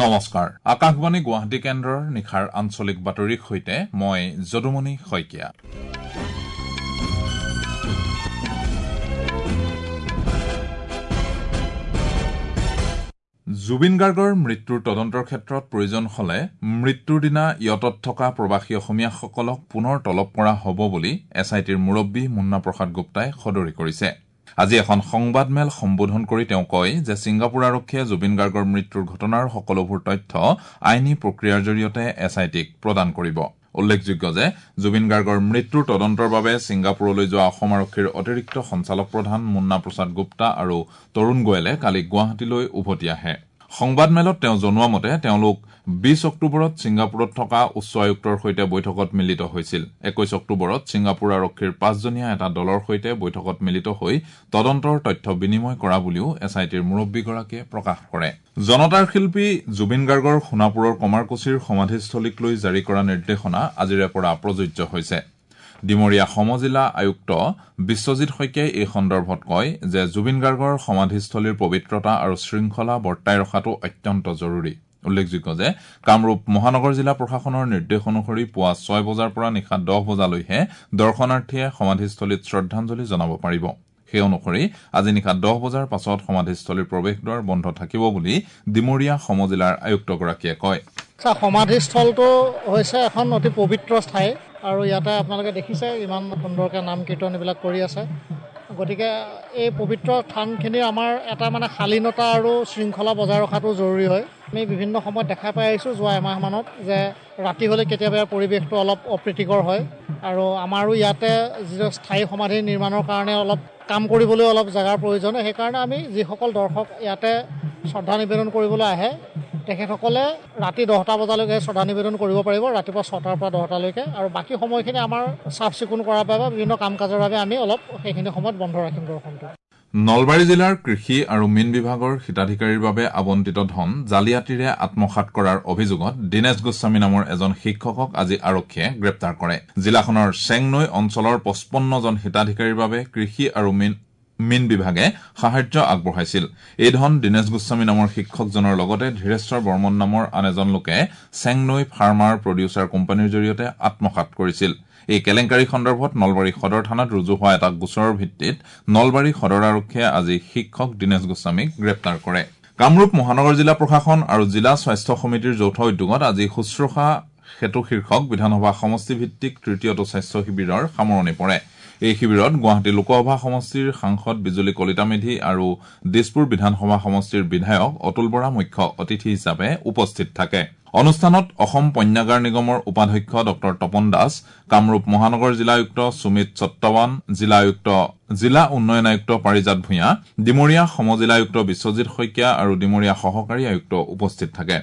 নমস্কাৰ, আকাশবাণী গুৱাহাটী কেন্দ্ৰৰ নিশাৰ আঞ্চলিক বাতৰিৰ সৈতে মই যদুমণি শইকীয়া। জুবিন গাৰ্গৰ মৃত্যুৰ তদন্তৰ ক্ষেত্ৰত প্ৰয়োজন হলে মৃত্যুৰ দিনা য়টত থকা প্ৰৱাসী অসমীয়াসকলক পুনৰ তলব কৰা হ'ব বুলি এছ I টিৰ মুৰব্বী মুন্না প্ৰসাদ গুপ্তাই সদৰি কৰিছে। আজি এখন সংবাদমেল সম্বোধন কৰি তেওঁ কয় যে ছিংগাপুৰ আৰক্ষীয়ে জুবিন গাৰ্গৰ মৃত্যুৰ ঘটনাৰ সকলোবোৰ তথ্য আইনী প্ৰক্ৰিয়াৰ জৰিয়তে এছ I টিক প্ৰদান কৰিব। উল্লেখযোগ্য যে জুবিন গাৰ্গৰ মৃত্যুৰ তদন্তৰ বাবে ছিংগাপুৰলৈ যোৱা অসম আৰক্ষীৰ অতিৰিক্ত সঞ্চালক প্ৰধান মুন্না প্ৰসাদ গুপ্তা আৰু তৰুণ গোৱেলে কালি গুৱাহাটীলৈ উভতি আহে। সংবাদমেলত তেওঁ জনোৱা মতে তেওঁলোক ২০ অক্টোবৰত ছিংগাপুৰত থকা উচ্চ আয়ুক্তৰ সৈতে বৈঠকত মিলিত হৈছিল। ২১ অক্টোবৰত ছিংগাপুৰ আৰক্ষীৰ ৫জনীয়া এটা দলৰ সৈতে বৈঠকত মিলিত হৈ তদন্তৰ তথ্য বিনিময় কৰা বুলিও এছ I টিৰ মুৰব্বীগৰাকীয়ে প্ৰকাশ কৰে। জনতাৰ শিল্পী জুবিন গাৰ্গৰ সোণাপুৰৰ কমাৰকুছিৰ সমাধিস্থলীক লৈ জাৰি কৰা নিৰ্দেশনা আজিৰে পৰা প্ৰযোজ্য হৈছে। ডিমৰীয়া সমজিলা আয়ুক্ত বিশ্বজিৎ শইকীয়াই এই সন্দৰ্ভত কয় যে জুবিন গাৰ্গৰ সমাধিস্থলীৰ পবিত্ৰতা আৰু শৃংখলা বৰ্তাই ৰখাটো অত্যন্ত জৰুৰী। উল্লেখযোগ্য যে কামৰূপ মহানগৰ জিলা প্ৰশাসনৰ নিৰ্দেশ অনুসৰি পুৱা ৬ বজাৰ পৰা নিশা ১০ বজালৈহে দৰ্শনাৰ্থীয়ে সমাধিস্থলীত শ্ৰদ্ধাঞ্জলি জনাব পাৰিব। সেই অনুসৰি আজি নিশা ১০ বজাৰ পাছত সমাধিস্থলীৰ প্ৰৱেশদ্বাৰ বন্ধ থাকিব বুলি ডিমৰীয়া সমজিলাৰ আয়ুক্তগৰাকীয়ে কয়। সমাধিস্থলটো হৈছে এখন অতি পবিত্ৰ ঠাই আৰু ইয়াতে আপোনালোকে দেখিছে ইমান সুন্দৰকৈ নাম কীৰ্তন এইবিলাক কৰি আছে। গতিকে এই পবিত্ৰ স্থানখিনিৰ আমাৰ এটা মানে শালীনতা আৰু শৃংখলা বজাই ৰখাটো জৰুৰী হয়। আমি বিভিন্ন সময়ত দেখা পাই আহিছোঁ যোৱা এমাহমানত যে ৰাতি হ'লে কেতিয়াবা ইয়াৰ পৰিৱেশটো অলপ অপ্ৰীতিকৰ হয় আৰু আমাৰো ইয়াতে যিটো স্থায়ী সমাধি নিৰ্মাণৰ কাৰণে অলপ কাম কৰিবলৈ অলপ জেগাৰ প্ৰয়োজন হয়। সেইকাৰণে আমি যিসকল দৰ্শক ইয়াতে শ্ৰদ্ধা নিবেদন কৰিবলৈ আহে তেখেতসকলে ৰাতি ১০টা বজালৈকে শ্ৰদ্ধা নিবেদন কৰিব পাৰিব, ৰাতিপুৱা ৬টাৰ পৰা ১০টালৈকে। আৰু বাকী সময়খিনি আমাৰ চাফ চিকুণ কৰাৰ বাবে বিভিন্ন কাম কাজৰ বাবে আমি অলপ সেইখিনি সময়ত বন্ধ ৰাখিম দৰ্শনটো। নলবাৰী জিলাৰ কৃষি আৰু মীন বিভাগৰ হিতাধিকাৰীৰ বাবে আবণ্টিত ধন জালিয়াতিৰে আত্মসাৎ কৰাৰ অভিযোগত দীনেশ গোস্বামী নামৰ এজন শিক্ষকক আজি আৰক্ষীয়ে গ্ৰেপ্তাৰ কৰে। জিলাখনৰ চেংনৈ অঞ্চলৰ ৫৫ জন হিতাধিকাৰীৰ বাবে কৃষি আৰু মীন বিভাগে সাহায্য আগবঢ়াইছিল। এই ধন দীনেশ গোস্বামী নামৰ শিক্ষকজনৰ লগতে ধীৰেশ্বৰ বৰ্মন নামৰ আন এজন লোকে চেংনৈ ফাৰ্মাৰ প্ৰডিউচাৰ কোম্পানীৰ জৰিয়তে আত্মসাৎ কৰিছিল। এই কেলেংকাৰী সন্দৰ্ভত নলবাৰী সদৰ থানাত ৰুজু হোৱা এটা গোচৰৰ ভিত্তিত নলবাৰী সদৰ আৰক্ষীয়ে আজি শিক্ষক দীনেশ গোস্বামীক গ্ৰেপ্তাৰ কৰে। কামৰূপ মহানগৰ জিলা প্ৰশাসন আৰু জিলা স্বাস্থ্য সমিতিৰ যৌথ উদ্যোগত আজি শুশ্ৰূষা সেতু শীৰ্ষক বিধানসভা সমষ্টিভিত্তিক তৃতীয়টো স্বাস্থ্য শিবিৰৰ সামৰণি পৰে। এই শিবিৰত গুৱাহাটী লোকসভা সমষ্টিৰ সাংসদ বিজুলী কলিতা মেধি আৰু দিছপুৰ বিধানসভা সমষ্টিৰ বিধায়ক অতুল বৰা মুখ্য অতিথি হিচাপে উপস্থিত থাকে। অনুষ্ঠানত অসম পণ্যাগাৰ নিগমৰ উপাধ্যক্ষ ডঃ তপন দাস, কামৰূপ মহানগৰ জিলা আয়ুক্ত সুমিত সত্তাৱান, জিলা উন্নয়ন আয়ুক্ত পাৰিজাত ভূঞা, ডিমৰীয়া সমজিলা আয়ুক্ত বিশ্বজিৎ শইকীয়া আৰু ডিমৰীয়া সহকাৰী আয়ুক্ত উপস্থিত থাকে।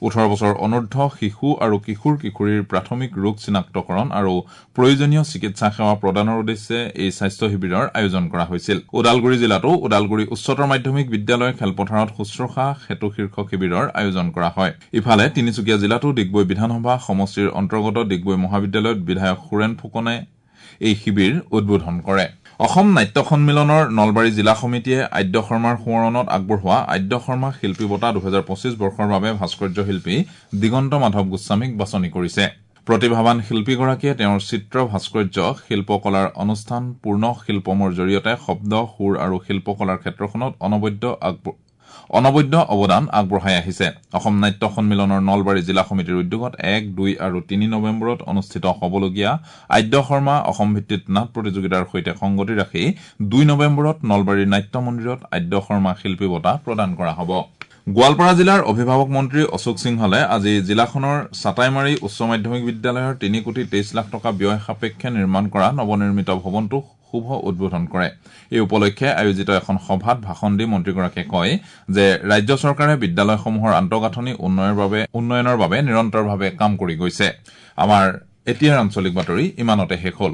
১৮ বছৰ অনুৰ্ধ শিশু আৰু কিশোৰ কিশোৰীৰ প্ৰাথমিক ৰোগ চিনাক্তকৰণ আৰু প্ৰয়োজনীয় চিকিৎসা সেৱা প্ৰদানৰ উদ্দেশ্যে এই স্বাস্থ্য শিবিৰৰ আয়োজন কৰা হৈছিল। ওদালগুৰি জিলাতো ওদালগুৰি উচ্চতৰ মাধ্যমিক বিদ্যালয় খেলপথাৰত শুশ্ৰূষা সেতু শীৰ্ষক শিবিৰৰ আয়োজন কৰা হয়। ইফালে তিনিচুকীয়া জিলাতো ডিগবৈ বিধানসভা সমষ্টিৰ অন্তৰ্গত ডিগবৈ মহাবিদ্যালয়ত বিধায়ক সুৰেণ ফুকনে এই শিবিৰ উদ্বোধন কৰে। অসম নাট্য সন্মিলনৰ নলবাৰী জিলা সমিতিয়ে আদ্য শৰ্মাৰ সোঁৱৰণত আগবঢ়োৱা আদ্য শৰ্মা শিল্পী বঁটা ২০২৫ বৰ্ষৰ বাবে ভাস্কৰ্য শিল্পী দিগন্ত মাধৱ গোস্বামীক বাছনি কৰিছে। প্ৰতিভাৱান শিল্পীগৰাকীয়ে তেওঁৰ চিত্ৰ ভাস্কৰ্য শিল্পকলাৰ অনুষ্ঠান পূৰ্ণ শিল্পমৰ জৰিয়তে শব্দ, সুৰ আৰু শিল্পকলাৰ ক্ষেত্ৰখনত অনবদ্য অৱদান আগবঢ়াই আহিছে। অসম নাট্য সন্মিলনৰ নলবাৰী জিলা সমিতিৰ উদ্যোগত ১, ২ আৰু ৩ নৱেম্বৰত অনুষ্ঠিত হ'বলগীয়া আদ্য শৰ্মা অসম ভিত্তিত নাট প্ৰতিযোগিতাৰ সৈতে সংগতি ৰাখি ২ নৱেম্বৰত নলবাৰীৰ নাট্য মন্দিৰত আদ্য শৰ্মা শিল্পী বঁটা প্ৰদান কৰা হ'ব। গোৱালপাৰা জিলাৰ অভিভাৱক মন্ত্ৰী অশোক সিংহলে আজি জিলাখনৰ চাটাইমাৰী উচ্চ মাধ্যমিক বিদ্যালয়ৰ ৩ কোটি ২৩ লাখ টকা ব্যয় সাপেক্ষে নিৰ্মাণ কৰা নৱনিৰ্মিত ভৱনটো শুভ উদ্বোধন কৰে। এই উপলক্ষে আয়োজিত এখন সভাত ভাষণ দি মন্ত্ৰীগৰাকীয়ে কয় যে ৰাজ্য চৰকাৰে বিদ্যালয়সমূহৰ আন্তঃগাঁথনি উন্নয়নৰ বাবে নিৰন্তৰভাৱে কাম কৰি গৈছে। আমাৰ এতিয়াৰ আঞ্চলিক বাতৰি ইমানতে শেষ হ'ল।